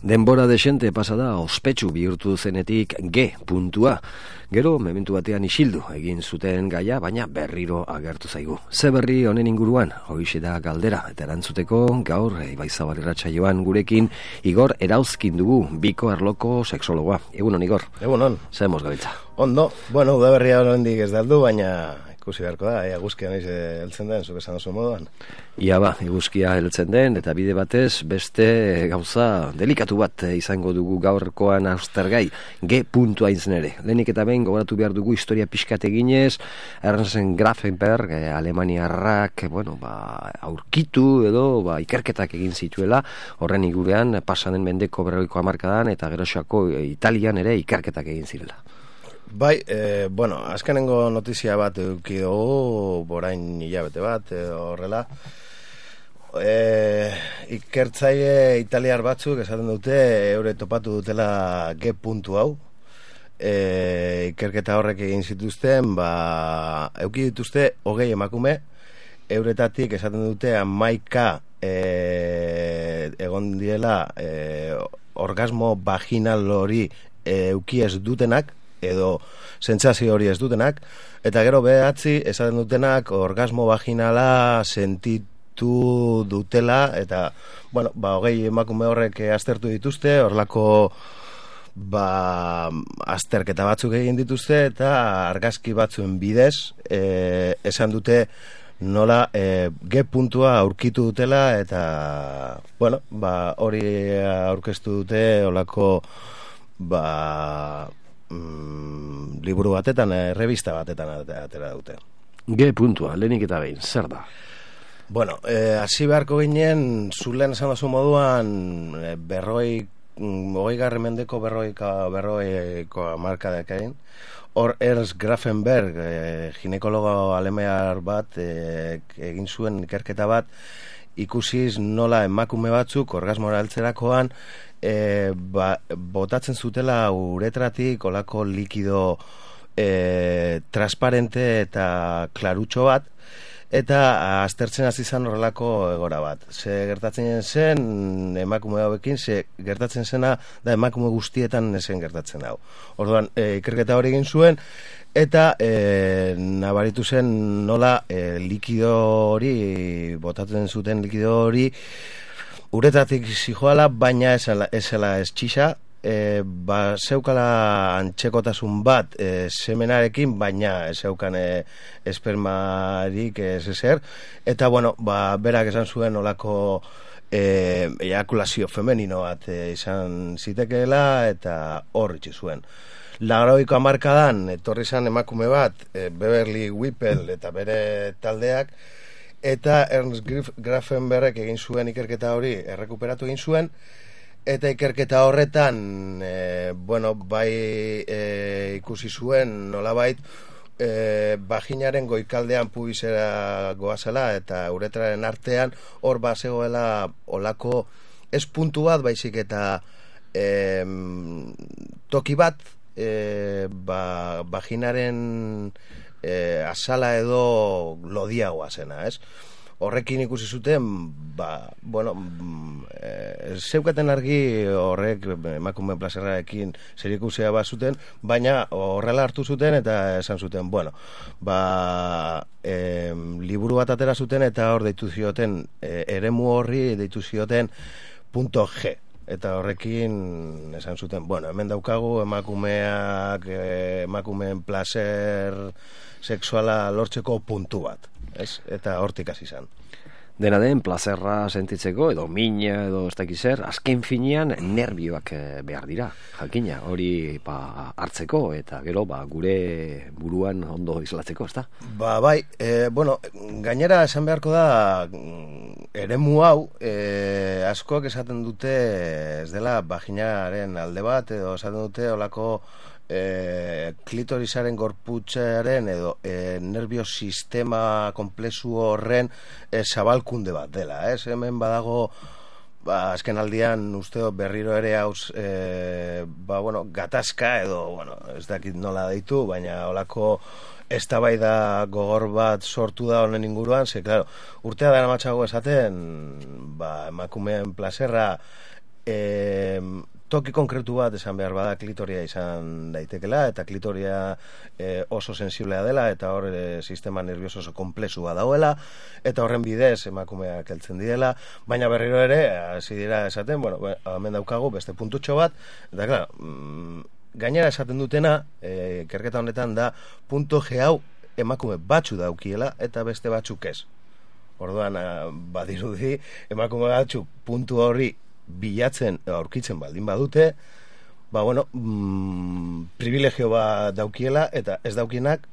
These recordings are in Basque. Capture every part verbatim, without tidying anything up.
Denbora desente pasada ospetsu bihurtu zenetik G puntua. Gero, mementu batean isildu egin zuten gaia, baina berriro agertu zaigu. Ze berri honen inguruan, hoixe da galdera, eta erantzuteko gaur Ibaizabal irratsaioan gurekin Igor Erauzkin dugu, biko arloko sexologoa. Egunon, Igor. Egunon. Zer moz gabiltza? Ondo, bueno, udaberria hondik ez daldu, baina ikusi beharko da, ea eguzkia naiz heltzen den, zuk esan oso moduan. Ia ba, eguzkia heltzen den, eta bide batez, beste gauza delikatu bat izango dugu gaurkoan austergai, G puntua izen ere. Lehenik eta behin gogoratu behar dugu historia pixkat eginez, Ernst Grafenberg, eh, Alemaniarrak, bueno, ba, aurkitu edo ba, ikerketak egin zituela, horren inguruan pasaden mendeko berrogeiko hamarkadan eta geroxoako Italian ere ikerketak egin zirela. Bai, e, bueno, azkenengo notizia bat eduki dugu, borain hilabete bat, edo horrela. E, ikertzaile italiar batzuk esaten dute, eure topatu dutela G puntu hau. E, ikerketa horrek egin zituzten, ba, euki dituzte hogei emakume, euretatik esaten dute hamaika e, egon diela e, orgasmo vaginal hori e, euki ez dutenak, edo sentsazio hori ez dutenak, eta gero behatzi esaten dutenak orgasmo vaginala sentitu dutela, eta, bueno, ba, hogei emakume horrek aztertu dituzte, horlako ba, azterketa batzuk egin dituzte, eta argazki batzuen bidez, e, esan dute nola e, G puntua aurkitu dutela, eta, bueno, ba, hori aurkeztu dute, horlako, ba, Mm, liburu batetan, eh, revista batetan atera dute. G puntua, lehenik eta behin, zer da? Bueno, eh, hasi beharko ginen, zulen esan dazu moduan, eh, berroi, hogei garren mendeko berroika, berroiko amarkadak egin. Hor Ernst Grafenberg, eh, ginekologo alemaniar bat, eh, egin zuen ikerketa bat, ikusiz nola emakume batzuk orgasmora heltzerakoan e, ba, botatzen zutela uretratik olako likido e, transparente eta klarutxo bat, eta aztertzen hasi izan horrelako egora bat. Ze gertatzen zen emakume hauekin, ze gertatzen zena da emakume guztietan esen gertatzen hau. Orduan, e, ikerketa hori egin zuen, eta e, nabaritu zen nola e, likido hori, botatzen zuten likido hori, uretatik zijoala, baina esela, esela ez txisa, e, ba, zeukala antxekotasun bat e, semenarekin, baina ez zeukan e, espermarik ez ezer, eta bueno, ba, berak esan zuen olako e, ejakulazio femenino bat e, izan zitekeela, eta hor itxi zuen. Laurogeiko hamarkadan etorri izan emakume bat, e, Beverly Whipple eta bere taldeak, eta Ernst Grafenberg egin zuen ikerketa hori errekuperatu egin zuen, eta ikerketa horretan e, bueno, bai e, ikusi zuen nolabait e, vaginaren goikaldean pubisera goazela eta uretraren artean hor bazegoela olako ez puntu bat, baizik eta e, toki bat, E, ba, vaginaren e, azala edo lodiagoa zena, ez? Horrekin ikusi zuten, ba, bueno, e, zeukaten argi horrek emakume plazerrarekin zer ikusia bat zuten, baina horrela hartu zuten eta esan zuten, bueno, ba, e, liburu bat atera zuten eta hor deitu zioten, e, eremu horri deitu zioten punto G. Eta horrekin esan zuten, bueno, hemen daukagu emakumeak, emakumeen placer sexuala lortzeko puntu bat, ez? Eta hortik hasi izan. Dena den, plazerra sentitzeko, edo mina, edo ez dakiz zer, azken finean nerbioak behar dira, jakina, hori ba, hartzeko, eta gero ba, gure buruan ondo islatzeko, ez da? Ba, bai, e, bueno, gainera esan beharko da, eremu hau, e, askoak esaten dute, ez dela, vaginaren alde bat, edo esaten dute, olako, E, klitorisaren gorputzaren edo e, nervio sistema komplexu horren e, zabalkunde bat dela, ez? Hemen badago, ba, azken aldian uste berriro ere hauz e, ba, bueno, gatazka edo, bueno, ez dakit nola deitu, baina olako eztabaida gogor bat sortu da honen inguruan, ze, claro, urtea dara matxago esaten, ba, emakumeen plazerra e, toki konkretu bat esan behar bada klitoria izan daitekela, eta klitoria e, oso sensiblea dela, eta hor e, sistema nervioso oso komplexua dauela, eta horren bidez emakumeak heltzen direla, baina berriro ere, hasi dira esaten, bueno, hemen daukagu beste puntutxo bat, eta klar, mm, gainera esaten dutena, e, ikerketa honetan da, punto G hau emakume batzu daukiela, eta beste batzuk ez. Orduan, badirudi, emakume batzu puntu horri bilatzen, aurkitzen baldin badute, ba, bueno, mm, privilegio bat daukiela, eta ez daukienak,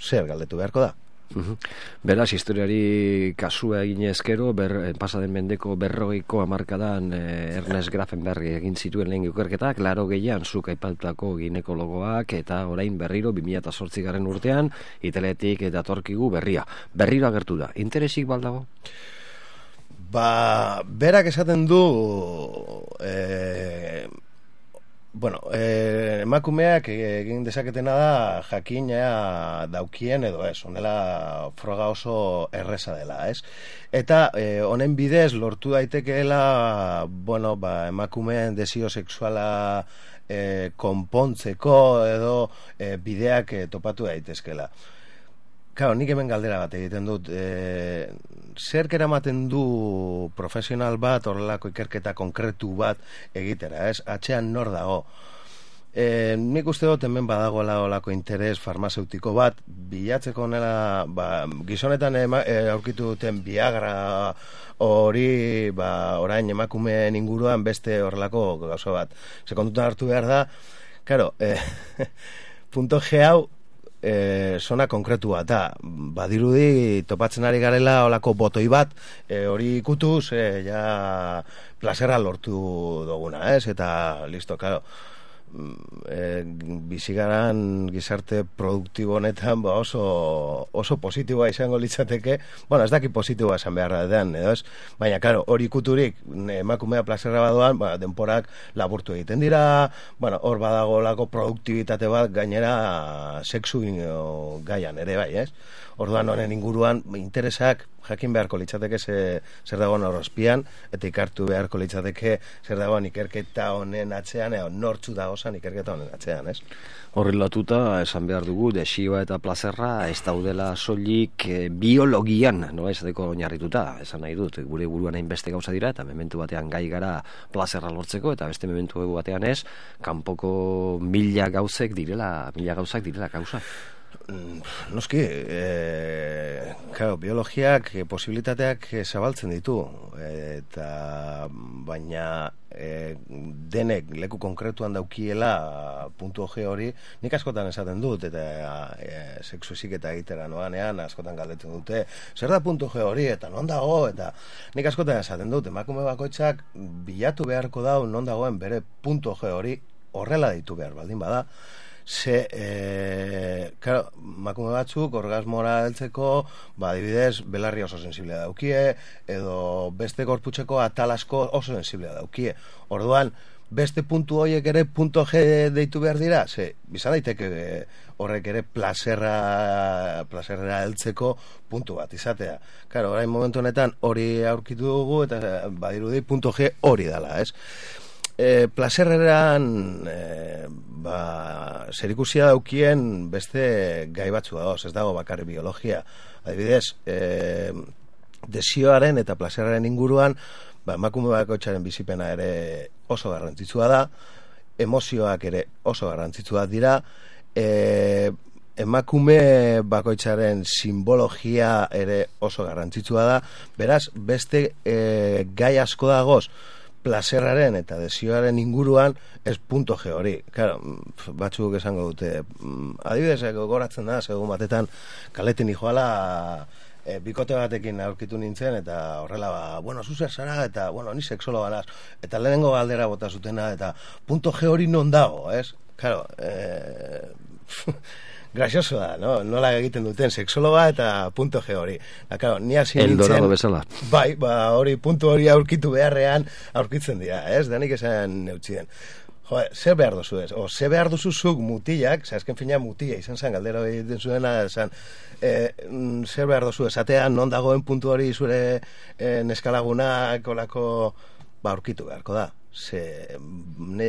zer galdetu beharko da. Uhum. Beraz, historiari kasua egin ezkero, ber, pasaden mendeko berrogeiko hamarkadan eh, Ernest Grafenberg egin zituen lehen ikerketak, laro gehian zuk aipatutako ginekologoak, eta orain berriro bi mila zortzigarren urtean, italetik eta torkigu berria. Berriro agertu da. Interesik baldago? Ba, berak esaten du e, bueno, e, emakumeak egin dezaketena da jakina daukien edo ez, honela froga oso erreza dela, ez? Eta e, honen bidez lortu daitekeela, bueno, ba, emakumeen desio sexuala e, konpontzeko edo e, bideak e, topatu daitezkela. Claro, nik hemen galdera bat egiten dut, e, zer eramaten du profesional bat horrelako ikerketa konkretu bat egitera, ez? Atzean nor dago. E, nik uste dut hemen badagoela olako interes farmazeutiko bat, bilatzeko nela, ba, gizonetan ema, e, aurkitu duten Viagra hori, ba, orain emakumeen inguruan beste horrelako gauza bat. Sekondutan hartu behar da, claro, e, punto G hau, E, zona konkretu bat da, badirudi topatzen ari garela olako botoi bat, e, hori ikutuz, e, ja plazera lortu duguna, ez? Eta listo, claro, e, bizigaran gizarte produktibo honetan ba oso, oso positiboa izango litzateke, bueno, ez daki positiboa esan beharra den, edo ez? Baina, claro, hori ikuturik emakumea plazera badoan, ba, denporak laburtu egiten dira, bueno, hor badago lako produktibitate bat gainera sexu gaian ere bai, ez? Orduan honen inguruan interesak jakin beharko litzateke ze, zer dagoen horrozpian, eta ikartu beharko litzateke zer dagoen ikerketa honen atzean, edo nortzu dagozan ikerketa honen atzean, ez? Horrelatuta, esan behar dugu, desioa eta plazerra ez daudela soilik e, biologian, no, esateko oinarrituta, esan nahi dut, gure buruan hainbeste gauza dira, eta mementu batean gai gara plazerra lortzeko, eta beste mementu batean ez, kanpoko mila gauzek direla, mila gauzak direla gauza. Noski, e, claro, biologiak e, posibilitateak e, zabaltzen ditu, eta baina e, denek leku konkretuan daukiela puntu G hori, nik askotan esaten dut, eta e, sexu eziketa egitera noanean askotan galdetzen dute, zer da puntu G hori, eta non dago, eta nik askotan esaten dut, emakume bakoitzak bilatu beharko dau non dagoen bere puntu G hori, horrela ditu behar baldin bada, ze, e, claro, makume batzuk orgasmora heltzeko, ba, adibidez, belarri oso sensiblea daukie, edo beste gorputzeko atal asko oso sensiblea daukie. Orduan, beste puntu horiek ere punto G deitu behar dira, ze, bizan daiteke horrek ere plazerra, plazerra heltzeko puntu bat izatea. Claro, orain momentu honetan hori aurkitu dugu, eta badirudi punto G hori dela, ez? E, plazerreran e, ba, zerikusia daukien beste gai batzu dagoz, ez dago bakarri biologia. Adibidez, e, desioaren eta plazerraren inguruan, ba, emakume bakoitzaren bizipena ere oso garrantzitsua da, emozioak ere oso garrantzitsuak dira, e, emakume bakoitzaren simbologia ere oso garrantzitsua da, beraz, beste e, gai asko dagoz, plazerraren eta desioaren inguruan ez punto G hori. Claro, batzuk esango dute, adibidez, gogoratzen da, segun batetan kaleten ijoala e, bikote batekin aurkitu nintzen, eta horrela, ba, bueno, zuzer zara, eta, bueno, ni sexologa naz, eta lehenengo galdera bota zutena, eta punto G hori non dago, ez? Claro, eh... Grazioso da, no? Nola egiten duten sexologa eta punto G hori. Da, claro, ni hasi nintzen... Eldorado bezala. Bai, ba, hori puntu hori aurkitu beharrean aurkitzen dira, ez? Danik esan neutzien. Jo, zer behar duzu ez? O, zer behar duzuzuk mutilak, zazken fina mutila izan zen, galdera egiten zuena, esan, e, zer behar duzu esatean, non dagoen puntu hori zure e, neskalagunak, olako, ba, aurkitu beharko da. ze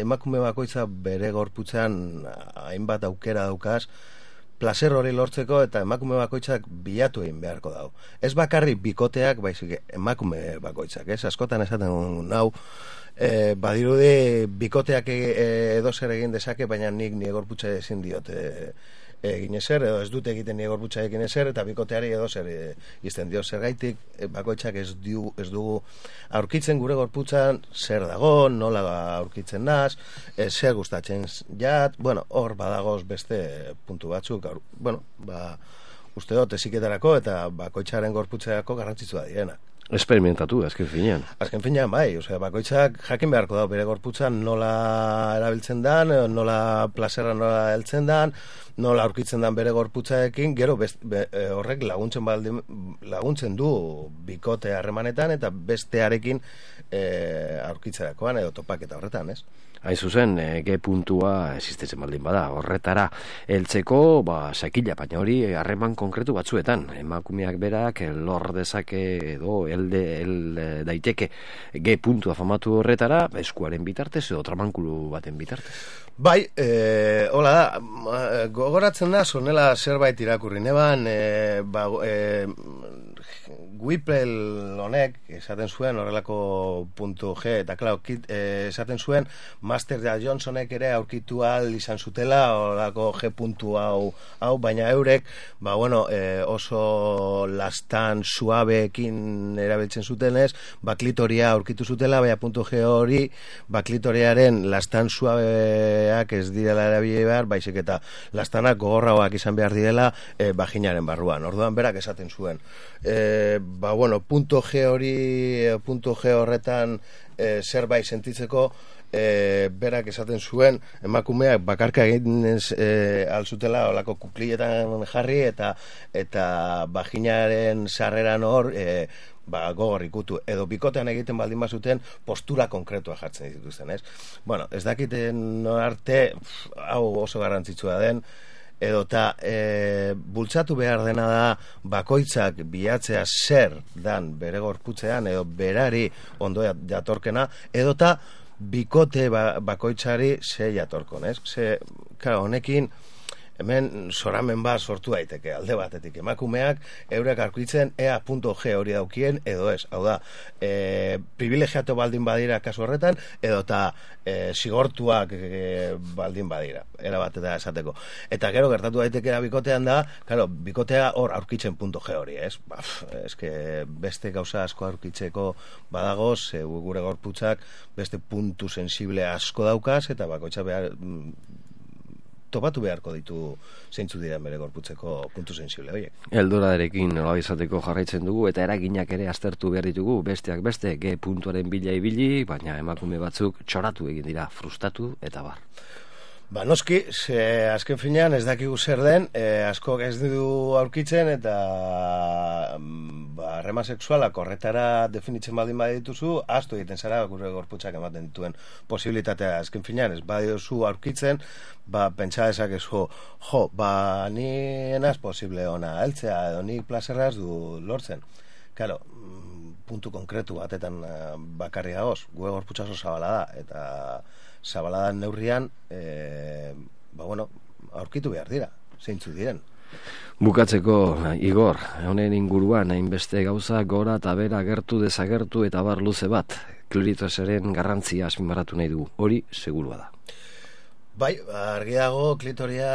emakume bakoitza bere gorputzean hainbat aukera daukaz, placer hori lortzeko eta emakume bakoitzak bilatu egin beharko dau. Ez bakarrik bikoteak, baizik emakume bakoitzak, ez? Askotan esaten nau, e, badirudi bikoteak e, edo zer egin dezake, baina nik nire gorputza ezin diote egin ezer, edo ez dute egiten nire gorputza egin ezer, eta bikoteari edo zer e, izten dio zergaitik, e, bakoitzak ez, diu, ez dugu aurkitzen gure gorputzan zer dago, nola aurkitzen naz, e, zer gustatzen jat, bueno, hor badagoz beste puntu batzuk, aur, bueno, ba, uste dut eziketarako eta bakoitzaren gorputzeako garrantzitsua direna. Esperimentatu, azken finean. Azken finean, bai, osea, bakoitzak jakin beharko da, bere gorputzan nola erabiltzen dan, nola plazera nola heltzen dan, nola aurkitzen dan bere gorputzaekin, gero best, be, horrek laguntzen baldin, laguntzen du bikote harremanetan eta bestearekin e, aurkitzerakoan edo topaketa horretan, ez? Hain zuzen, e, G puntua existitzen baldin bada, horretara heltzeko, ba, sakila, baina hori harreman konkretu batzuetan, emakumeak berak lor dezake edo elde, el daiteke G puntua famatu horretara, eskuaren bitartez edo tramankulu baten bitartez. Bai, e, hola da, gogoratzen da, zonela zerbait irakurri neban, e, ba, e, Whipple honek esaten zuen horrelako puntu G, eta klar, e, esaten zuen Master Johnsonek ere aurkitu ahal izan zutela horrelako G puntu hau, hau baina eurek, ba bueno, e, oso lastan suabeekin erabiltzen zutenez, baklitoria aurkitu zutela, baina puntu G hori baklitoriaren lastan suabeak ez direla erabili behar, baizik eta lastanak gogorragoak izan behar direla e, vaginaren barruan. Orduan berak esaten zuen. E, ba bueno, punto G hori, punto G horretan e, zerbait sentitzeko, e, berak esaten zuen emakumeak bakarka egin e, alzutela olako kukliletan jarri eta eta vaginaren sarreran hor e, ba, gogor ikutu, edo bikotean egiten baldin bazuten postura konkretua jartzen dituzten, ez? Bueno, ez dakiten arte, hau oso garrantzitsua den, edota e, bultzatu behar dena da bakoitzak bilatzea zer dan bere gorputzean edo berari ondo jatorkena, edota bikote ba, bakoitzari ze jatorkon, ez? Ze, claro, honekin hemen zoramen bat sortu daiteke alde batetik, emakumeak eurek aurkitzen ea punto G hori daukien edo ez, hau da e, privilegiatu baldin badira kasu horretan edo eta e, zigortuak e, baldin badira era bat eta esateko, eta gero gertatu daiteke bikotean da, claro, bikotea hor aurkitzen punto G hori, ez? Baf, eske beste gauza asko aurkitzeko badagoz, e, gure gorputzak beste puntu sensible asko daukaz eta bakoitza behar topatu beharko ditu zeintzu dira bere gorputzeko puntu sensible horiek. Eldorarekin nola izateko jarraitzen dugu eta eraginak ere aztertu behar ditugu, besteak beste G puntuaren bila ibili, baina emakume batzuk txoratu egin dira, frustatu eta bar. Ba, noski, ze azken finean ez dakigu zer den, e, asko ez du aurkitzen eta ba, harreman sexualak horretara definitzen baldin badituzu, astu egiten zara gure gorputzak ematen dituen posibilitatea azken finean, ez badiozu aurkitzen, ba, pentsa dezakezu, jo, ba, ni enaz posible ona heltzea, edo ni plazerra ez du lortzen. Claro, puntu konkretu batetan bakarri dagoz, gure gorputza oso zabala da, eta zabaladan neurrian, e, ba, bueno, aurkitu behar dira, zeintzu diren. Bukatzeko, Igor, honen inguruan, hainbeste gauza gora eta bera gertu desagertu eta bar luze bat, klitorisen garrantzia azpimarratu nahi dugu, hori segurua da. Bai, argi dago klitoria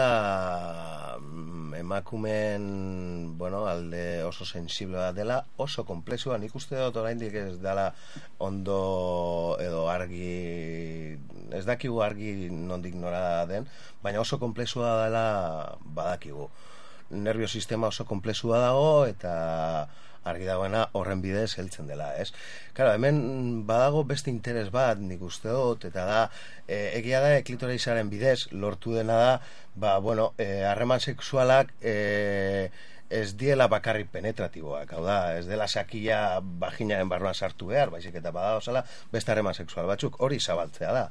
emakumen, bueno, alde oso sensible bat dela, oso komplexua, nik uste dut oraindik ez dela ondo edo argi, ez dakigu argi nondik nora den, baina oso komplexua dela badakigu. Nervio sistema oso komplexua dago eta argi dagoena horren bidez heltzen dela, ez? Claro, hemen badago beste interes bat, nik uste dut, eta da, e, egia da, klitorisaren bidez lortu dena da, ba, bueno, e, harreman sexualak e, ez diela bakarrik penetratiboak, hau da, ez dela sakila vaginaren barruan sartu behar, baizik eta badago zela, beste harreman sexual batzuk, hori zabaltzea da.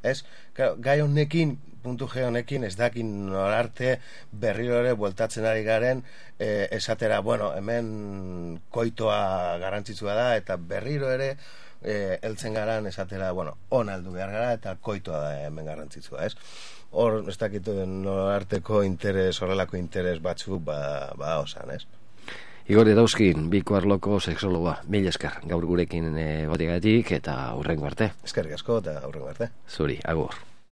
Ez, claro, gai honekin, puntu G honekin, ez dakin norarte berriro ere bueltatzen ari garen, e, esatera, bueno, hemen koitoa garrantzitsua da, eta berriro ere, e, eltzen garan esatera, bueno, on aldu behar gara eta koitoa da hemen garrantzitsua, ez? Hor, ez dakit no arteko interes, horrelako interes batzuk ba, ba osan, ez? Igor Edauzkin, Biko Arloko sexologoa, mil esker, gaur gurekin e, gotigatik eta hurrengo arte. Eskerrik asko eta hurrengo arte. Zuri, agur.